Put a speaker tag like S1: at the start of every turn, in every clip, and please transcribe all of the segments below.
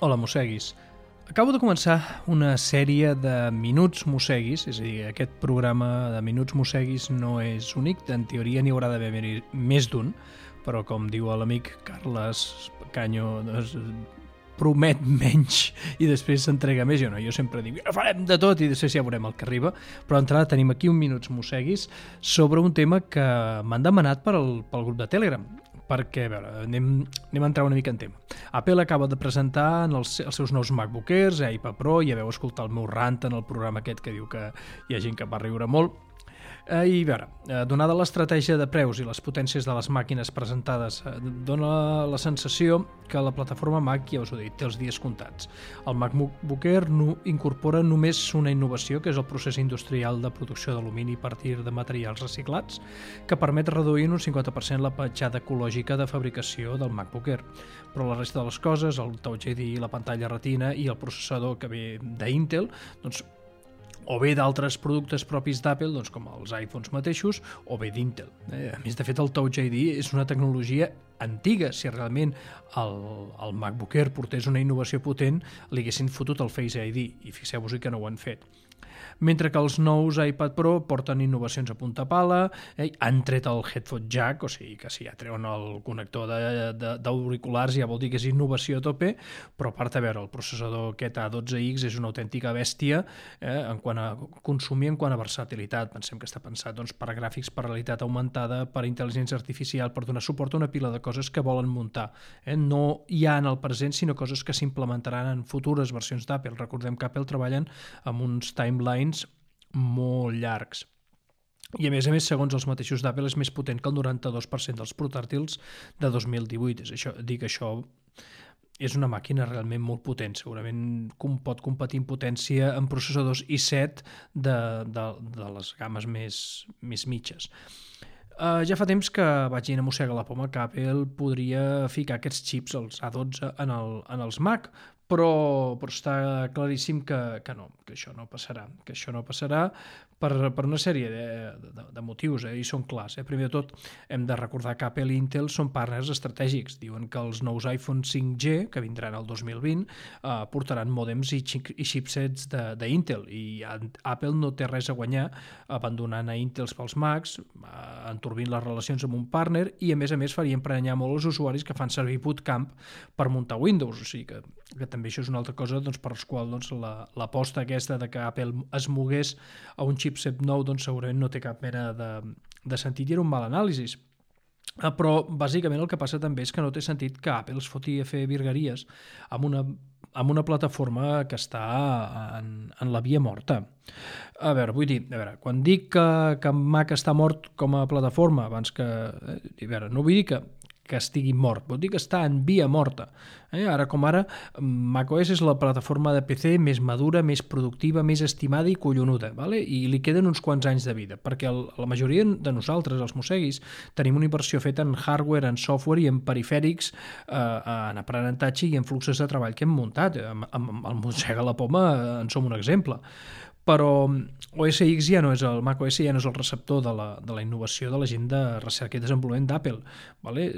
S1: Hola, mosseguis. Acabo de començar una sèrie de Minuts Mosseguis, és a dir, aquest programa de Minuts Mosseguis no és únic, en teoria n'hi haurà d'haver més d'un, però com diu l'amic Carles Canyo, doncs, promet menys i després s'entrega més. Jo sempre dic, farem de tot i després ja veurem el que arriba, però d'entrada tenim aquí un Minuts Mosseguis sobre un tema que m'han demanat pel grup de Telegram, perquè, a veure, anem a entrar una mica en tema. Apple acaba de presentar els seus nous MacBook Airs, iPad Pro, ja veu escoltar el meu rant en el programa aquest que diu que hi ha gent que va riure molt. I a veure, donada l'estratègia de preus i les potències de les màquines presentades, dona la sensació que la plataforma Mac, ja us ho he dit, té els dies comptats. El MacBook Air incorpora només una innovació, que és el procés industrial de producció d'alumini a partir de materials reciclats, que permet reduir en un 50% la petjada ecològica de fabricació del MacBook Air. Però la resta de les coses, el Touch ID, la pantalla Retina i el processador que ve d'Intel, doncs, o bé d'altres productes propis d'Apple, doncs com els iPhones mateixos, o bé d'Intel. A més, de fet, el Touch ID és una tecnologia antiga. Si realment el MacBook Air portés una innovació potent, li haguessin fotut el Face ID, i fixeu-vos que no ho han fet. Mentre que els nous iPad Pro porten innovacions a punta pala, han tret el headphone jack, o sigui que si ja treuen el connector d'auriculars ja vol dir que és innovació a tope, però a part, a veure, el processador aquest A12X és una autèntica bèstia en quant a consumir, en quant a versatilitat. Pensem que està pensat per a gràfics, per realitat augmentada, per intel·ligència artificial, per donar suport a una pila de coses que volen muntar. No ja en el present, sinó coses que s'implementaran en futures versions d'Apple. Recordem que Apple treballen amb uns timelines molt llargs. I a més, segons els mateixos d'Apple, és més potent que el 92% dels portàtils de 2018. Això és una màquina realment molt potent. Segurament pot competir en potència en processadors i7 de les games més mitges. Ja fa temps que vaig dir a mossegar la poma que Apple podria ficar aquests xips, els A12, en els Mac, però està claríssim que no, que això no passarà per una sèrie de motius, i són clars. Primer de tot, hem de recordar que Apple i Intel són partners estratègics. Diuen que els nous iPhone 5G, que vindran el 2020, portaran mòdems i chipsets d'Intel, i Apple no té res a guanyar abandonant a Intel pels Macs, enturbint les relacions amb un partner, i a més faria emprenyar molt els usuaris que fan servir Bootcamp per muntar Windows. O sigui que també això és una altra cosa per la qual l'aposta aquesta de que Apple es mogués a un chipset nou segurament no té cap mena de sentit, i era un mal anàlisi. Però bàsicament el que passa també és que no té sentit que Apple es foti a fer virgueries amb una plataforma que està en la via morta. A veure, quan dic que Mac està mort com a plataforma, abans que... no vull dir que estigui mort, vol dir que està en via morta. Ara com ara, macOS és la plataforma de PC més madura, més productiva, més estimada i collonuda, i li queden uns quants anys de vida, perquè la majoria de nosaltres, els mosseguis, tenim una inversió feta en hardware, en software i en perifèrics, en aprenentatge i en fluxos de treball que hem muntat. Amb el mossega la poma en som un exemple. Però OS X el Mac OS ja no és el receptor de la innovació de la gent de recerca i desenvolupament d'Apple.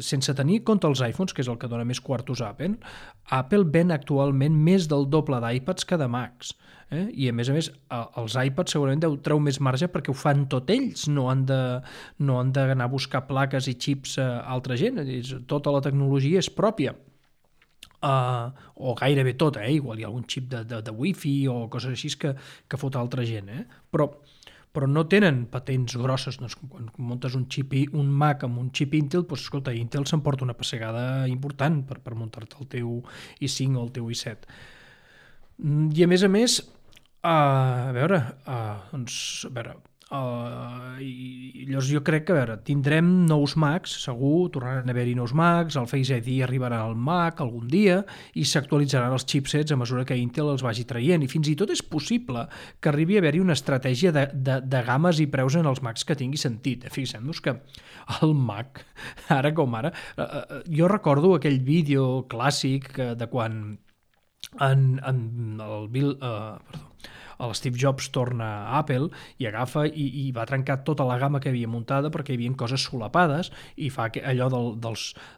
S1: Sense tenir en compte els iPhones, que és el que dona més quartos a Apple ven actualment més del doble d'iPads que de Macs. I a més, els iPads segurament treu més marge perquè ho fan tot ells, no han d'anar a buscar plaques i xips a altra gent. Tota la tecnologia és pròpia. O gairebé tot, igual hi ha algun xip de wifi o coses així que fot altra gent, però no tenen patents grosses. Quan muntes un Mac amb un xip Intel, escolta, Intel s'emporta una pessegada important per muntar-te el teu i5 o el teu i7. I a més, llavors jo crec que tindrem nous Macs, segur, tornaran a haver-hi nous Macs, el Face ID arribarà al Mac algun dia i s'actualitzaran els chipsets a mesura que Intel els vagi traient, i fins i tot és possible que arribi a haver-hi una estratègia de games i preus en els Macs que tingui sentit. Fixem-nos que el Mac, ara com ara, jo recordo aquell vídeo clàssic de quan l'Steve Jobs torna a Apple i agafa i va trencar tota la gamma que havia muntada perquè hi havia coses solapades i fa allò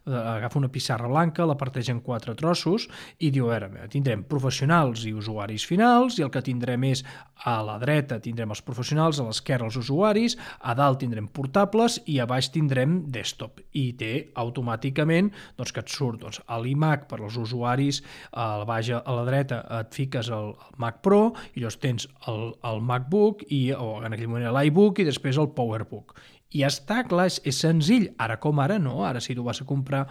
S1: agafa una pissarra blanca, la parteix en 4 trossos i diu, a veure, tindrem professionals i usuaris finals i el que tindrem és a la dreta tindrem els professionals, a l'esquerra els usuaris, a dalt tindrem portables i a baix tindrem desktop i té automàticament doncs, que et surt doncs, l'iMac per als usuaris, a la dreta et fiques el Mac Pro i llavors tens el MacBook o en aquell moment l'iBook i després el PowerBook. I està clar, és senzill. Ara com ara no, ara si tu vas a comprar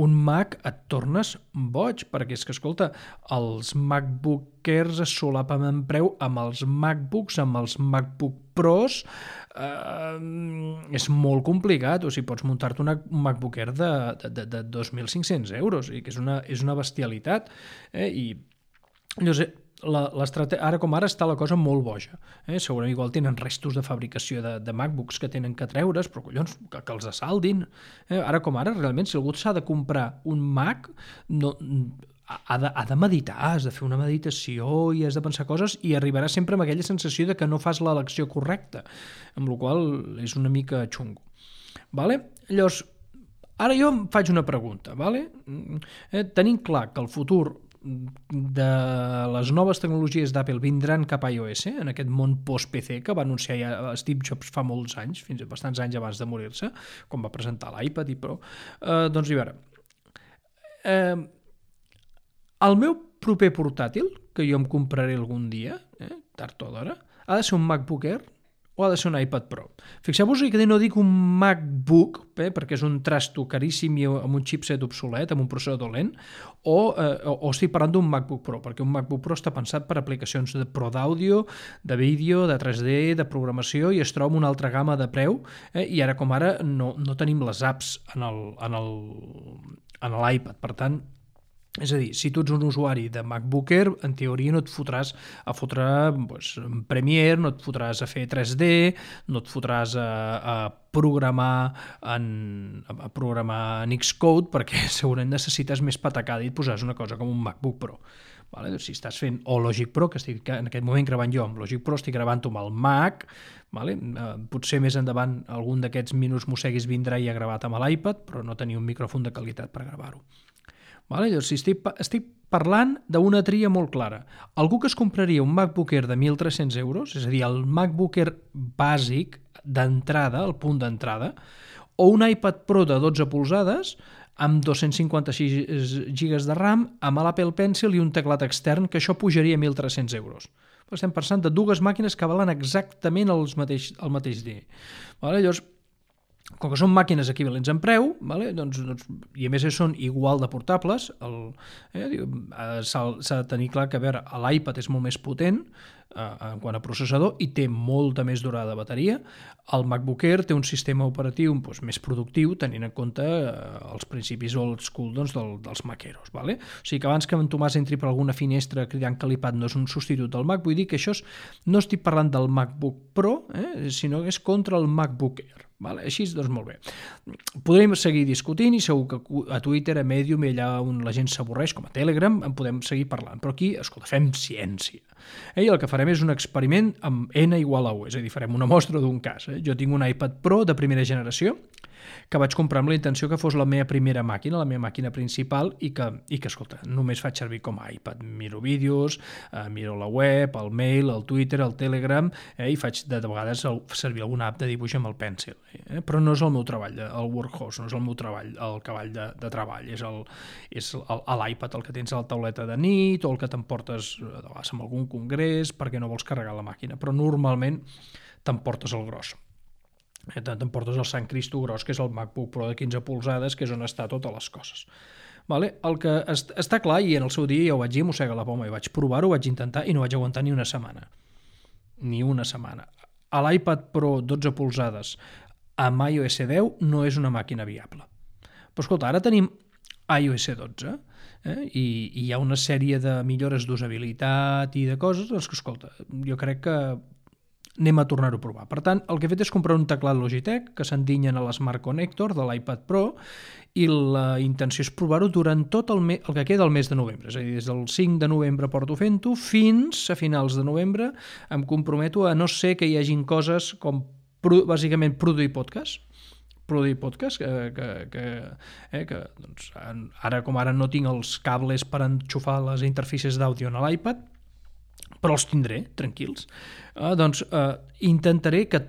S1: un Mac et tornes boig, perquè és que, escolta, els MacBookers es solapen en preu amb els MacBooks, amb els MacBook Pros, és molt complicat, o sigui, pots muntar-te un MacBook Air de 2.500 euros, i que és una bestialitat, i llavors ara com ara està la cosa molt boja. Segurament igual tenen restos de fabricació de MacBooks que tenen que treure's, però collons, que els assaldin. Ara com ara, realment, si algú s'ha de comprar un Mac, ha de meditar, has de fer una meditació i has de pensar coses i arribarà sempre amb aquella sensació de que no fas l'elecció correcta, amb la qual cosa és una mica xungo. Llavors, ara jo em faig una pregunta. Tenim clar que el futur de les noves tecnologies d'Apple vindran cap a iOS, en aquest món post-PC que va anunciar ja Steve Jobs fa molts anys, fins a bastants anys abans de morir-se, quan va presentar l'iPad i Pro. Doncs, a veure, el meu proper portàtil, que jo em compraré algun dia, tard o d'hora, ha de ser un MacBook Air o ha de ser un iPad Pro. Fixeu-vos que no dic un MacBook, perquè és un trasto caríssim i amb un chipset obsolet, amb un processador lent, o estic parlant d'un MacBook Pro, perquè un MacBook Pro està pensat per aplicacions de pro d'àudio, de vídeo, de 3D, de programació, i es troba una altra gamma de preu, i ara com ara no tenim les apps en l'iPad. Per tant, és a dir, si tu ets un usuari de MacBook Air, en teoria no et fotràs a fotre Premiere, no et fotràs a fer 3D, no et fotràs a programar en Xcode, perquè segurament necessites més patacada i et posaràs una cosa com un MacBook Pro. Si estàs fent Logic Pro, que estic en aquest moment gravant jo amb Logic Pro, estic gravant-ho amb el Mac, potser més endavant algun d'aquests minuts mosseguis vindrà ja gravat amb l'iPad, però no tenia un micròfon de qualitat per gravar-ho. Llavors, estic parlant d'una tria molt clara. Algú que es compraria un MacBook Air de 1.300 euros, és a dir, el MacBook Air bàsic d'entrada, el punt d'entrada, o un iPad Pro de 12 polzades amb 256 GB de RAM, amb l'Apple Pencil i un teclat extern, que això pujaria a 1.300 euros. Estem parlant de dues màquines que valen exactament el mateix dia. Llavors, com que són màquines equivalents en preu, i a més són igual de portables, s'ha de tenir clar que l'iPad és molt més potent en quant a processador i té molta més durada de bateria. El MacBook Air té un sistema operatiu més productiu, tenint en compte els principis old school dels maqueros. O sigui que abans que en Tomàs entri per alguna finestra cridant que l'iPad no és un substitut del Mac, vull dir que això no estic parlant del MacBook Pro, sinó que és contra el MacBook Air. Així, doncs molt bé. Podrem seguir discutint i segur que a Twitter, a Medium, allà on la gent s'avorreix, com a Telegram, en podem seguir parlant. Però aquí, escolta, fem ciència. I el que farem és un experiment amb N igual a 1, és a dir, farem una mostra d'un cas. Jo tinc un iPad Pro de primera generació que vaig comprar amb la intenció que fos la meva primera màquina, la meva màquina principal, i que escolta, només faig servir com a iPad. Miro vídeos, miro la web, el mail, el Twitter, el Telegram, i faig de vegades servir alguna app de dibuix amb el Pencil. Però no és el meu treball, el workhorse, no és el meu treball, el cavall de treball, és l'iPad el que tens a la tauleta de nit o el que t'emportes de vegades en algun congrés perquè no vols carregar la màquina, però normalment t'emportes el gros. T'emportes el Sant Cristo gros, que és el MacBook Pro de 15 polzades, que és on està totes les coses. El que està clar, i en el seu dia ja ho vaig dir, mossega la poma, i vaig provar-ho, vaig intentar i no vaig aguantar ni una setmana. A l'iPad Pro 12 polzades amb iOS 10 no és una màquina viable. Però escolta, ara tenim iOS 12 i hi ha una sèrie de millores d'usabilitat i de coses, doncs que escolta, jo crec que anem a tornar-ho a provar. Per tant, el que he fet és comprar un teclat Logitech que s'endinyen a l'Smart Connector de l'iPad Pro i la intenció és provar-ho durant tot el que queda del mes de novembre. És a dir, des del 5 de novembre porto fent-ho fins a finals de novembre em comprometo a no ser que hi hagin coses com bàsicament produir podcast, que doncs, ara com ara no tinc els cables per enxufar les interfícies d'àudio en l'iPad, però els tindré, tranquils. Intentaré que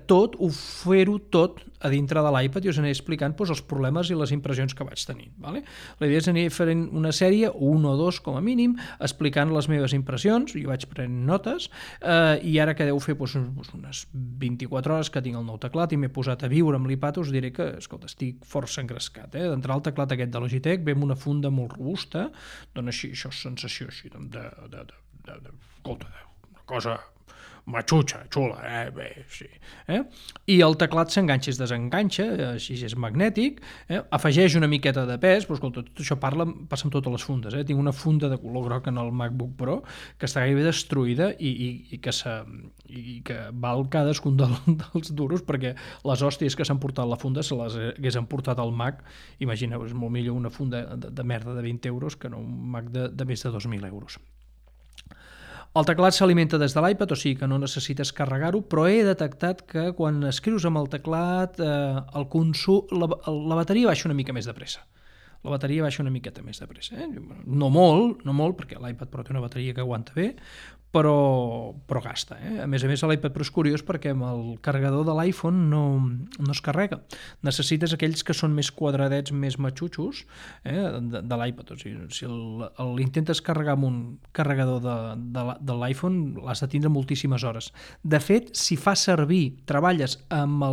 S1: fer-ho tot a dintre de l'iPad i us aniré explicant els problemes i les impressions que vaig tenir. Vale? La idea és anar fent una sèrie, un o dos com a mínim, explicant les meves impressions, jo vaig prenent notes, i ara que deu fer unes 24 hores que tinc el nou teclat i m'he posat a viure amb l'iPad, us diré que, escolta, estic força engrescat. D'entrar el teclat aquest de Logitech ve amb una funda molt robusta, dona així, això sensació així escolta, una cosa matxutxa, xula, bé, sí. I el teclat s'enganxa i es desenganxa, així és magnètic, afegeix una miqueta de pes, però escolta, tot això passa amb totes les fundes. Tinc una funda de color groc en el MacBook Pro que està gairebé destruïda i que val cadascun dels duros, perquè les hòsties que s'han portat la funda se les haguessin portat al Mac. Imagineu, és molt millor una funda de merda de 20 euros que no un Mac de més de 2.000 euros. El teclat s'alimenta des de l'iPad, o sigui que no necessites carregar-ho, però he detectat que quan escrius amb el teclat el consum, la bateria baixa una mica més de pressa. La bateria baixa una miqueta més de pressa. No molt, perquè l'iPad Pro té una bateria que aguanta bé, però gasta. A més, l'iPad Pro és curiós perquè amb el carregador de l'iPhone no es carrega. Necessites aquells que són més quadradets, més matxutxos de l'iPad. O sigui, si l'intentes carregar amb un carregador de l'iPhone, l'has de tindre moltíssimes hores. De fet, si treballes amb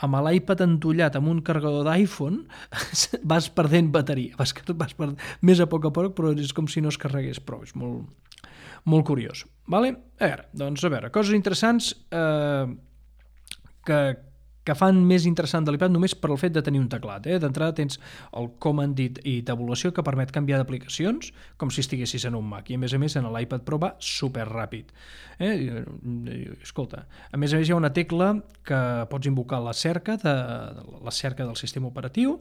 S1: l'iPad entullat amb un carregador d'iPhone, vas perdent bateria, vas perdent més a poc, però és com si no es carregués prou, és molt curiós. Vale? A veure, coses interessants que fan més interessant de l'iPad només per el fet de tenir un teclat. D'entrada tens el Command i tabulació que permet canviar d'aplicacions com si estiguessis en un Mac, i a més en l'iPad Pro va superràpid. Escolta, a més hi ha una tecla que pots invocar la cerca del sistema operatiu,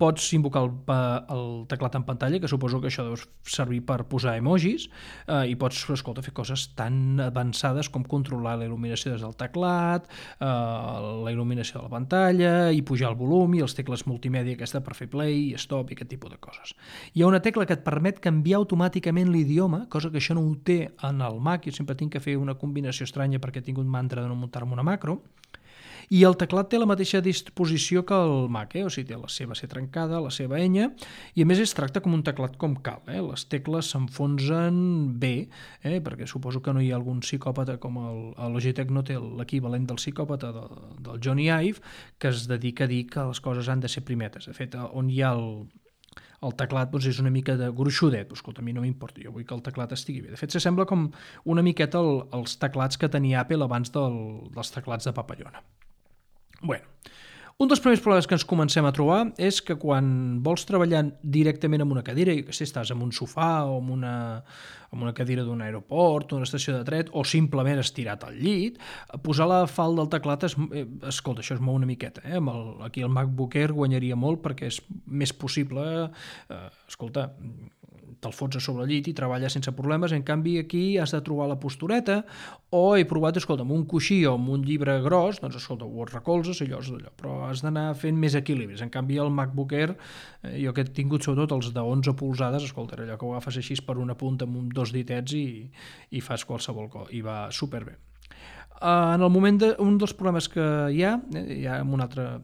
S1: pots invocar el teclat en pantalla, que suposo que això deu servir per posar emojis, i pots, fer coses tan avançades com controlar la il·luminació des del teclat, la il·luminació de la pantalla, i pujar el volum, i els tecles multimèdia aquesta per fer play, stop i aquest tipus de coses. Hi ha una tecla que et permet canviar automàticament l'idioma, cosa que això no ho té en el Mac, jo sempre tinc que fer una combinació estranya perquè tinc un mantra de no muntar-me una macro, i el teclat té la mateixa disposició que el Mac, o sigui, té la seva C trencada, la seva enya, i a més es tracta com un teclat com cal. Les tecles s'enfonsen bé, perquè suposo que no hi ha algun psicòpata com el Logitech no té l'equivalent del psicòpata del Johnny Ive, que es dedica a dir que les coses han de ser primetes. De fet, on hi ha el teclat és una mica de gruixudet, escolta, a mi no m'importa, jo vull que el teclat estigui bé. De fet, s'assembla com una miqueta els teclats que tenia Apple abans dels teclats de papallona. Bueno, un dels primers problemes que ens comencem a trobar és que quan vols treballar directament amb una cadira, i que si estàs en un sofà o amb una cadira d'un aeroport, una estació de tren, o simplement estirat al llit, posar la falda del teclat, escolta, això es mou una miqueta. Aquí el MacBook Air guanyaria molt perquè és més possible, escolta, te'l fots a sobre el llit i treballes sense problemes. En canvi, aquí has de trobar la postureta, o he provat, escolta, amb un coixí o amb un llibre gros, doncs, escolta, ho recolzes, allò, però has d'anar fent més equilibris. En canvi, el MacBook Air, jo que he tingut sobretot els de 11 polzades, escolta, allò que ho agafes així per una punta amb dos ditets i fas qualsevol cosa, i va superbé. En el moment un dels problemes que hi ha en un altre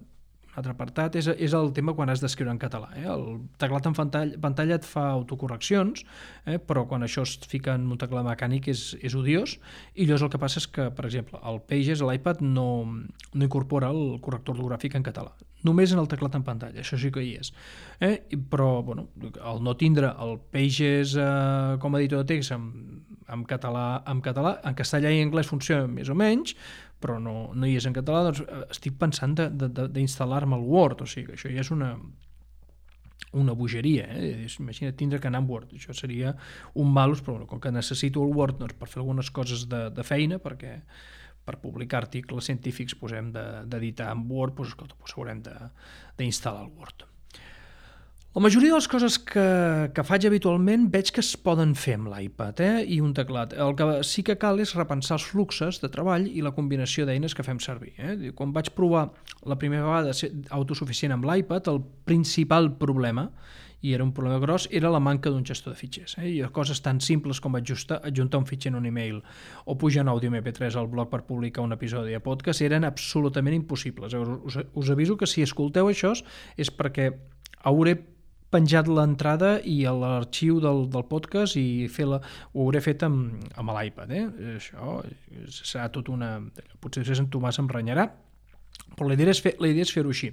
S1: apartat, és el tema quan has d'escriure en català. El teclat en pantalla et fa autocorreccions, però quan això es fica en un teclat mecànic és odiós, i llavors el que passa és que, per exemple, el Pages a l'iPad no incorpora el corrector ortogràfic en català, només en el teclat en pantalla, això sí que hi és. Però, el no tindre el Pages com a editor de text en català, en castellà i anglès funciona més o menys, però no hi és en català, doncs estic pensant d'instal·lar-me el Word, o sigui que això ja és una bogeria. Imagina't tindre que anar amb Word, això seria un malus, però com que necessito el Word per fer algunes coses de feina, perquè per publicar articles científics hem d'editar en Word, escolta, haurem d'instal·lar el Word. La majoria de les coses que faig habitualment veig que es poden fer amb l'iPad i un teclat. El que sí que cal és repensar els fluxos de treball i la combinació d'eines que fem servir. Quan vaig provar la primera vegada ser autosuficient amb l'iPad, el principal problema, i era un problema gros, era la manca d'un gestor de fitxers. I coses tan simples com adjuntar un fitxer en un email o pujar un àudio MP3 al blog per publicar un episodi de podcast eren absolutament impossibles. Us aviso que si escolteu això és perquè hauré penjat l'entrada i l'arxiu del podcast i ho hauré fet amb l'iPad. Això serà tot una... Potser en Tomàs em renyarà, però la idea és fer-ho així.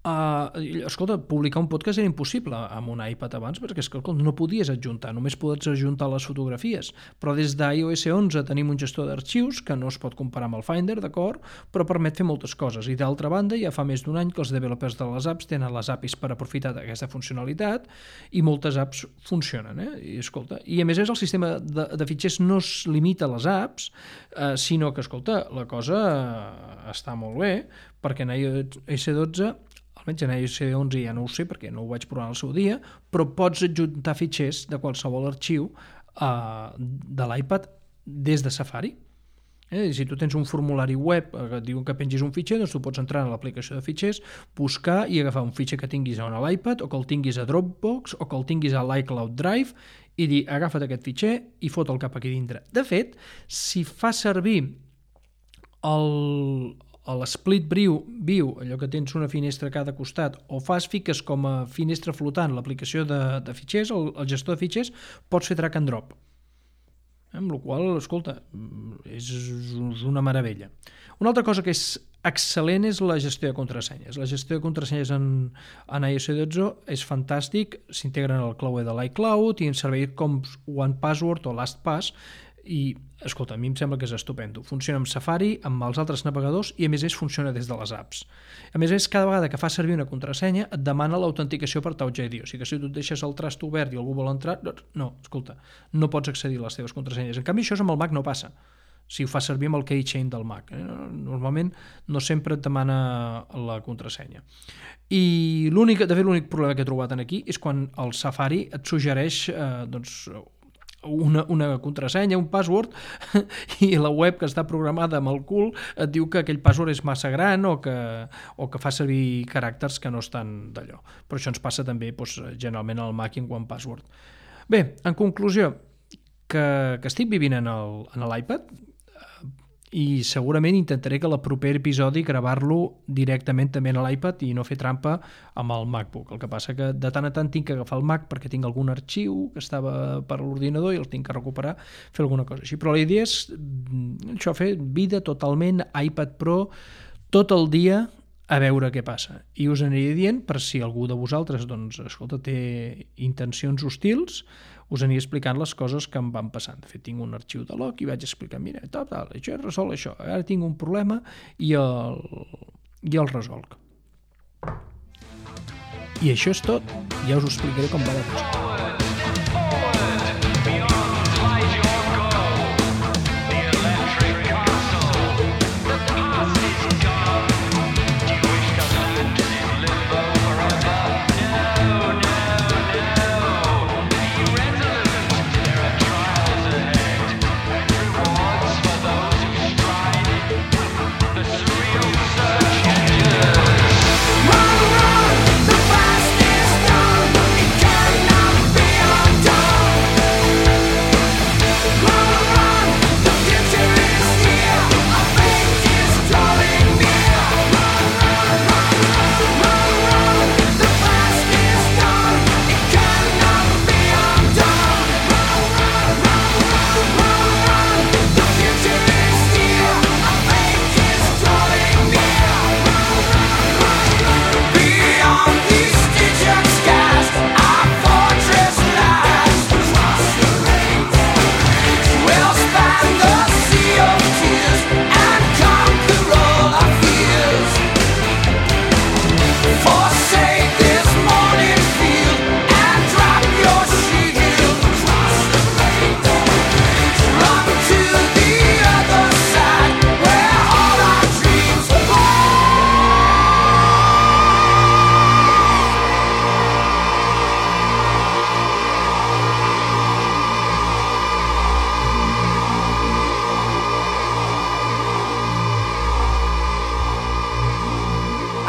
S1: Escolta, publicar un podcast era impossible amb un iPad abans perquè no podies adjuntar, només pots adjuntar les fotografies, però des d'iOS 11 tenim un gestor d'arxius que no es pot comparar amb el Finder, d'acord, però permet fer moltes coses, i d'altra banda ja fa més d'un any que els developers de les apps tenen les APIs per aprofitar d'aquesta funcionalitat i moltes apps funcionen, i a més el sistema de fitxers no es limita a les apps, sinó que, escolta, la cosa està molt bé, perquè en iOS 12 almenys en iOS 11 ja no ho sé perquè no ho vaig provar al seu dia, però pots adjuntar fitxers de qualsevol arxiu de l'iPad des de Safari. Si tu tens un formulari web que et diuen que pengis un fitxer, doncs tu pots entrar a l'aplicació de fitxers, buscar i agafar un fitxer que tinguis a l'iPad o que el tinguis a Dropbox o que el tinguis a l'iCloud Drive i dir, agafa't aquest fitxer i fot'l cap aquí dintre. De fet, si fas servir l'Split View, allò que tens una finestra a cada costat, o fiques com a finestra flotant l'aplicació de fitxers, el gestor de fitxers, pots fer drag and drop. Amb la qual cosa, escolta, és una meravella. Una altra cosa que és excel·lent és la gestió de contrasenyes. La gestió de contrasenyes en iOS 12 és fantàstic, s'integren al clauer de l'iCloud i en serveis com OnePassword o LastPass, i, escolta, a mi em sembla que és estupendo. Funciona amb Safari, amb els altres navegadors i, a més, funciona des de les apps. A més, cada vegada que fas servir una contrasenya et demana l'autenticació per Touch ID. O sigui que si tu et deixes el Trust obert i algú vol entrar, no, escolta, no pots accedir a les teves contrasenyes. En canvi, això amb el Mac no passa. Si ho fas servir amb el keychain del Mac. Normalment no sempre et demana la contrasenya. I l'únic problema que he trobat aquí és quan el Safari et suggereix una contrasenya, un password, i la web que està programada amb el cul et diu que aquell password és massa gran o que fa servir caràcters que no estan d'allò. Però això ens passa també generalment al Mac i en OnePassword. Bé, en conclusió, que estic vivint en l'iPad i segurament intentaré que el proper episodi gravar-lo directament també a l'iPad i no fer trampa amb el MacBook. El que passa que de tant en tant tinc que agafar el Mac perquè tinc algun arxiu que estava per l'ordinador i el tinc que recuperar, fer alguna cosa així. Però la idea és això, fer vida totalment iPad Pro tot el dia a veure què passa. I us aniré dient, per si algú de vosaltres té intencions hostils, us aniré explicant les coses que em van passant. De fet, tinc un arxiu de log i vaig explicar, mira, això és resol això, ara tinc un problema i el resolc. I això és tot. Ja us ho explicaré com va la cosa.
S2: Run, the fastest done. It cannot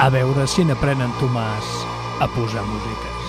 S1: A veure si n'aprenen Tomàs a posar música.